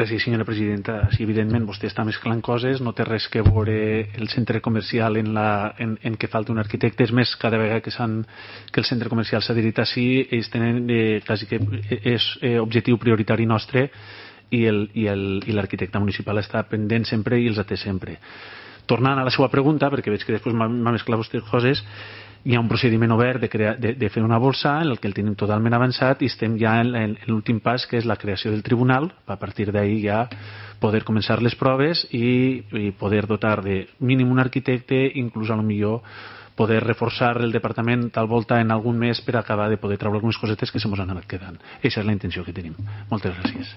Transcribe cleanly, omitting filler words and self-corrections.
Sí, senyora presidenta, sí, evidentment vostè està mesclant coses, no té res que veure el centre comercial en què falta un arquitecte. És més, cada vegada que el centre comercial s'ha adherit així, ells tenen quasi que és objectiu prioritari nostre i l'arquitecte municipal està pendent sempre i els atén sempre. Tornant a la seva pregunta, perquè veig que després m'ha mesclat vostè coses, hi ha un procediment obert de fer una bolsa en el que el tenim totalment avançat i estem ja en l'últim pas, que és la creació del tribunal. A partir d'ahí ja poder començar les proves i poder dotar de mínim un arquitecte, inclús a lo millor poder reforçar el departament tal volta en algun mes per acabar de poder treure algunes cosetes que se mos han anat quedant. Aquesta és la intenció que tenim. Moltes gràcies.